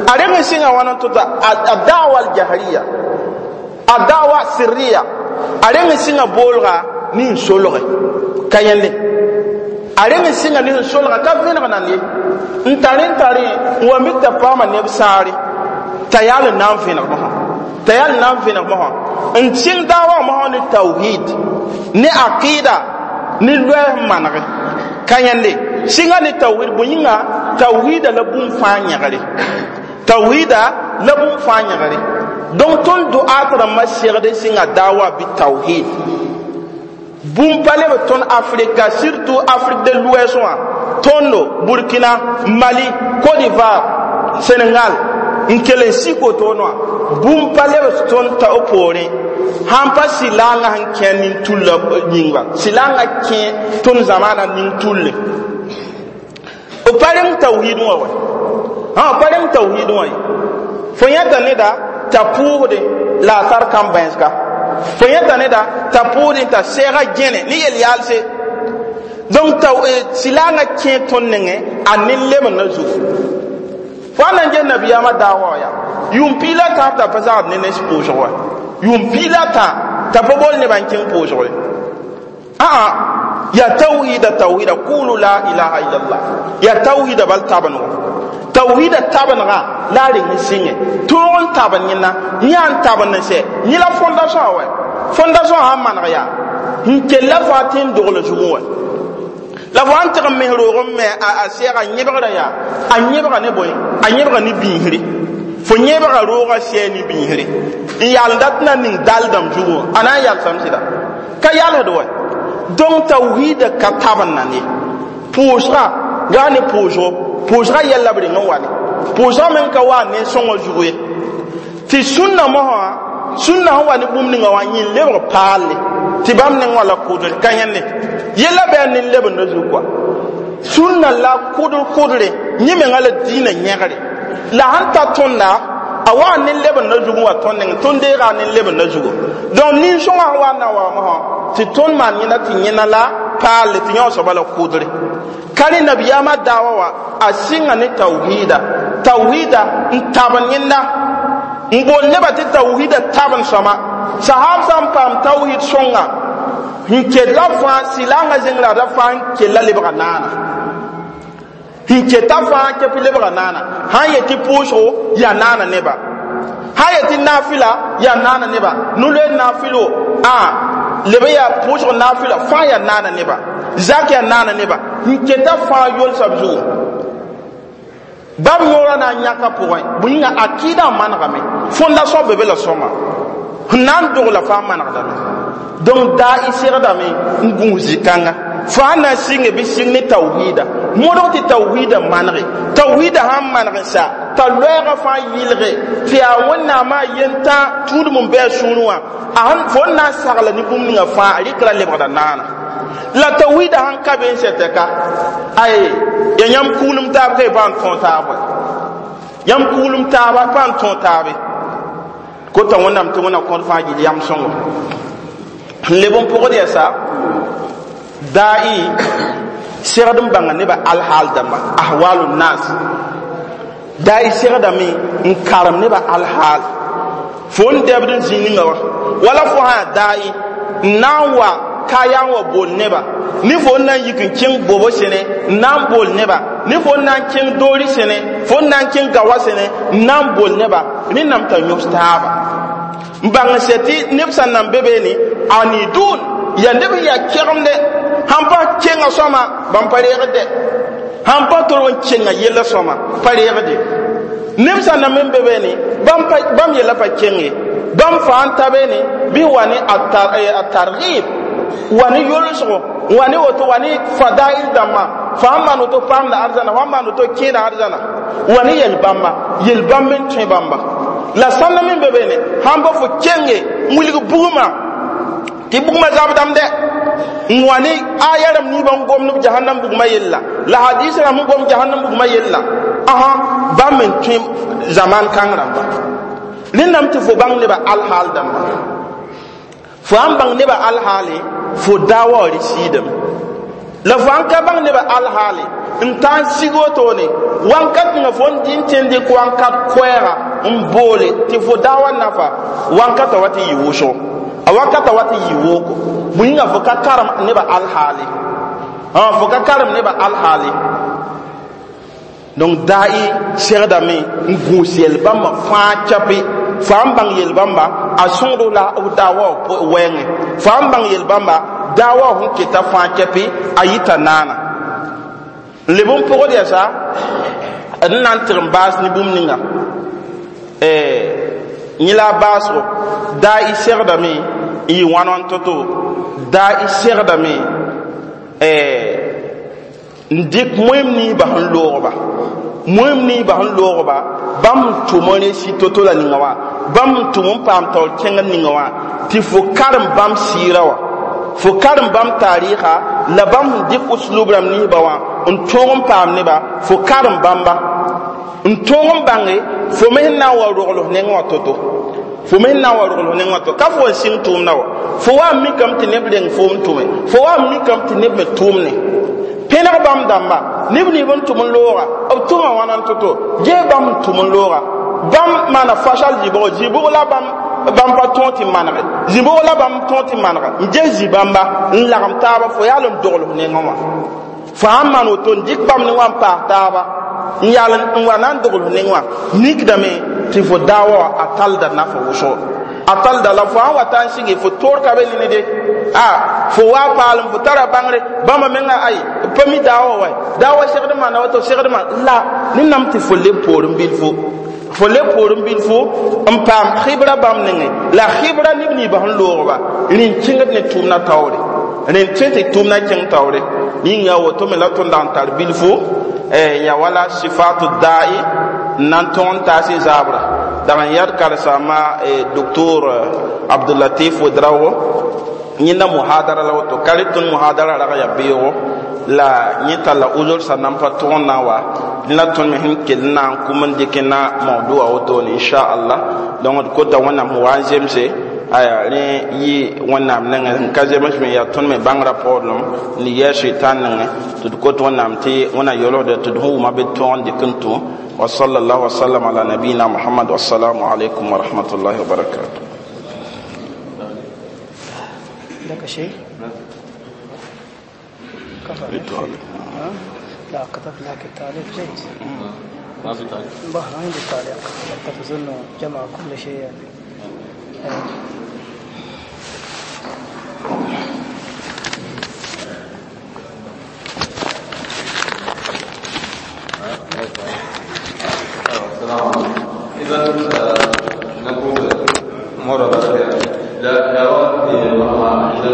Speaker 2: a reng n sɩnga wãna n tota a dawa aljahriya, a dawa sirriya, a reng n sɩnga boolga ne n solge. Ka yẽnde A reng n sɩnga ne sẽn solga ka vẽneg nan ye n tar n tare n wa mik t'a paama neb saare t'a yaal n na n vẽneg mosã t'a yaal n na n vẽneg mosã n sɩng daawa mosã ne tawhid ne aqida ne loɛɛs n manege ka yẽnde sɩnga ne tawhid bõe yĩnga tawhida la bũmb fãa yẽgre tawhida la bũmb fãa yẽgre donc tõnd doaat rãmbã segd n sɩnga daawa bɩ tawhid bũmb pa leb tõnd Afrika, surtout Afrique de l'Ouest wã, tõndo Burkina, Mali, Côte d'Ivoire, Sénégal n kell n sik wotoone wã bũmb pa leb tõnd ta b poorẽ sãn pa sɩlaangã sẽn kẽ nin-tulla yĩnga sɩlaangã kẽ tõnd zamaana nin-tulle b pa reng tawhid wã wa b pa reng tawhid wã ye fo yẽta neda t'a pʋʋsdẽ la a tar kãn-bãensga fo yẽta neda t'a pʋʋsdẽ t'a sɛɛga gẽne ne yel-yaalse donc t'a sɩlaangã kẽ tõnd nengẽ a nin-lemdã zugu fo a na n ges nabiyaamã daawa yaa yʋʋm piig la tãab t'a pa zagd ne nens pʋʋsg wa yʋʋm piig la tã t'a pa bool nebã n kẽng pʋʋsg ye aa yaa tawhida tawhida kulu la ilaha illallah yaa tawhida bal tabengã tawhida tabengã la a reng n sɩngẽ tõog n taben yẽnna yã n taben n sɛ yẽ la fondation wa fondation sãn maneg yaa n kella fãa tɩ n dogl zugẽ wa la fo sãn tɩg n mes roog n me a sɛɛga yẽbgrã yaa a yẽbga ne bõe a yẽbga ne biisre fo yẽbga roogã sɛɛ ne biisre n yaal n dat na ning dal dãmb zugu a na n yalsame sɩda ka yalsd wa donc tawhida ka taben na ne pʋʋsga yaa ne pʋʋsgo pʋʋsga yɛl la b reng n wa ne pʋʋsga meng ka wa ne sõngã zugu ye tɩ sũnna mosã sũnna sẽn wa ne bũmb ninga wã yẽ lebg paalle tɩ bãmb neng wã la kʋdre ka yẽnde yella bɩ a nin-lebendã zug kɔa sũnna la kʋdr kʋdre yẽ menga la diinã yẽgre la sãn ta tõnda a wa nin-lebendã zug n wa tõnd neng tõnd deega a nin-lebendã zugu donc nin-sõngã sẽn wa n na wa mosã tɩ tõnd maan yẽnda tɩ yẽna la paalle tɩ yão soaba la kʋdre ka rẽ nabiyaamã daawa wa a sɩnga ne tawhida tawhida n taben yẽnda n bool nebã tɩ tawhida taben sõma sahab sã n paam tawhid sõnga n ket la fãa sɩlaangã zẽngra ra fãa n kella lebga naana n keta fãa kɛpɩ lebga naana sãn yet tɩ pʋʋsgo yaa naana neba sãn yet tɩ naafɩla yaa naana neba nu-loeer naafɩlo a leb yaa pʋʋsg naafɩla fãa yaa naana neba zak yaa naana neba n keta fãa yolsa b zugu bãmb yõora na n yãka pʋgẽ bõe yĩnga akɩɩdã n manegame fondation be be la sõnga n na n dogla fãa manegdame donc daa y segdame n gũus zĩ-kãnga fãa na n sɩnge bɩ sɩng ne tawhida modg tɩ tawhida manege tawhida sãn maneg n sa t'a loɛɛgã fãa yɩlge tɩ yaa wẽnnaamã yentã tũudem n bɩ a sũurẽ wã a fo n na n sagla ne bũmb ninga fãa a rɩkra lebgda naana la tawhida sãn ka be n sɛtɛ ka ay ya yãmb kuglem taab ka y pa n tõog taab wa yãmb kuglem taaba pa n tõog taabe kota wẽnnaam tɩ wẽnna kõd fãa gill yam sõngo n leb n pʋgd yɛsa da'i segd n bãnga nebã alhaal dãmba ahwalu nas da'i segdame n karem nebã alhaal fo n dɛbd n zĩ ninga wa wala fo sã yaa da'i n na n wa kaya n wa bool neba ne fo n na n yik n kẽng bobo sẽne n na n bool neba ne fo n na n kẽng doori sẽne fo n na n kẽng gawa sẽne n na n bool neba rẽnnam t'a yõs taaba n bãng n sɛ tɩ neb sẽn nan be beene anidun yaa neb n yaa kɛgemde sãn pa kenga sõma bãmb pa reegd dɛ sãn pa tol n kenga yella sõma pa reegde neb sẽn na n be beene bãmb yella pa keng ye bãmb fãa n ta beene bɩ wa ne a targib wa ne yolsgo wa ne woto wa ne fadail dãmbã fãa n maan woto paamda arzãna fãa n maan woto kẽeda arzãna wa ne yel-bãmba yel-bãmb n tõe bãmba la sãnda me be beene sãn pa fo kenge n wilg bugmã tɩ bugmã zabdame dɛ n wa ne aya rãmb niibã n gomd b jahannam bugmã yella la hadis rãmb n gom jahannam bugmã yella ãsã bãmb n tõe zaman kãng rãmba rẽndame tɩ fo bãng nebã alhaal dãmba fo sãn bãng nebã alhaale fo daawa wa rɩ la fo sãn ka bãng nebã alhaale n taa n sig wotone wãnkat ninga fo n dɩ n tẽnd dɩk wãnkat koɛɛga n boole tɩ fo daawa nafa wãnkata wa tɩ yɩ wʋsgo a wakata wa tɩ yɩ wooko bõe yĩnga fo ka karem nebã alhaale Fo ka karem nebã alhaale. Donc da'i segdame n gũus yel-bãmbã fãa chape, fo n bãng yel-bãmba a sõgdo la b daawa wɛɛngẽ, fo n bãng yel-bãmba daawa sẽn keta fãa chape, a yita naana n leb n pʋgd yɛsa d na n tɩg n baas ne bũmb ninga yẽ la a baasgo. Daa y segdame n yɩ wãn wãn to-to, daa y segdame n dɩk moem niisba sẽn loogba, moem niisba sẽn loogba bãmb n tʋm n resi to-to la ninga wã, bãmb n tʋm n paam taoor kẽngd ninga wã, tɩ fo karem bãmb sɩɩra wã, fo karem bãmb taarɩɩga la bãmb sẽn dɩk uslub rãmb niisba wã n tõog n paam neba, fo karem bãmba n tõog n bãnge fo me sẽn na n wa rogls nengẽ wã to-to, fo me sẽn na n wa rogls nengẽ wã to ka fo n sɩng tʋʋmdã wa, fo wa n mikame tɩ neb reng foom tʋme, fo wa n mikame tɩ neb me tʋʋmne pẽneg bãmb dãmba neb nins n tʋm n looga b tʋma wãna n to-to gee bãmb n tʋm n looga bãmb maana fasal zibgo zibg la bãmb bãmb pa tõog tɩ manege zibg la bãmb tõog tɩ manega n ges zĩ-bãmba n lagem taaba fo yaal n dogls nengẽ wã, fo sãn maan woto n dɩk bãmb ne wã n paas taaba n yaal n wa na n dogls nengẽ wã, mikdame tɩ fo daawa wã a talda nafa wʋsgo, a talda la fo sãn wa ta n sɩge fo toor ka be nene de a fo wa paalem fo tara bãngre bãmba menga ay pa mi daawa wa daawa segd maana woto segd maan la ne nam tɩ fo leb poorẽ bilfu, fo leb poorẽ bilfu n paam xibra bãmb nengẽ la xibra neb ninsbã sẽn loogba rẽn kẽngd ne tʋʋmdã taoore, rẽn tõe tɩ tʋʋmdã kẽng taoore yĩnga woto me la tõnd dag n tar bilfu ya wala sifatu da'i n na n tõg n taas y zaabra dag n yad karsaama docteur Abdulatif Ouedraogo yẽnda muhadara la woto ka rɩ tõnd muhadara rag ya beoogo la yẽ talla uzr sa nan pa tõg n na n wa la tõnd me sẽn kell n na n kum n dɩk na mawdua wotone inchallah. Donc d kota Wẽnnaam sẽn wa n zemse aya rẽ yɩ Wẽnnaam nengẽ sẽn ka zems me yaa tõnd me bãngrã poorlem n yɛɛ sʋɩtãn nengẽ tɩ d kot Wẽnnaam tɩ Wẽnnaam yolgda tɩ d sẽn wʋma bɩ tõog n dɩk n tũ. Wa sallallahu wa sallam ala nabiyina Muhammad. Wassalamu alaikum wa rahmatullahi wa barakatuh.
Speaker 3: لك شيء؟ كفى. لا كتبت لك التعليق جيد.
Speaker 4: ما في تعليق.
Speaker 3: ما عندي تعليق، أنت تظن جمع كل شيء يعني.
Speaker 4: السلام عليكم. إذا نقول مرة لا إذا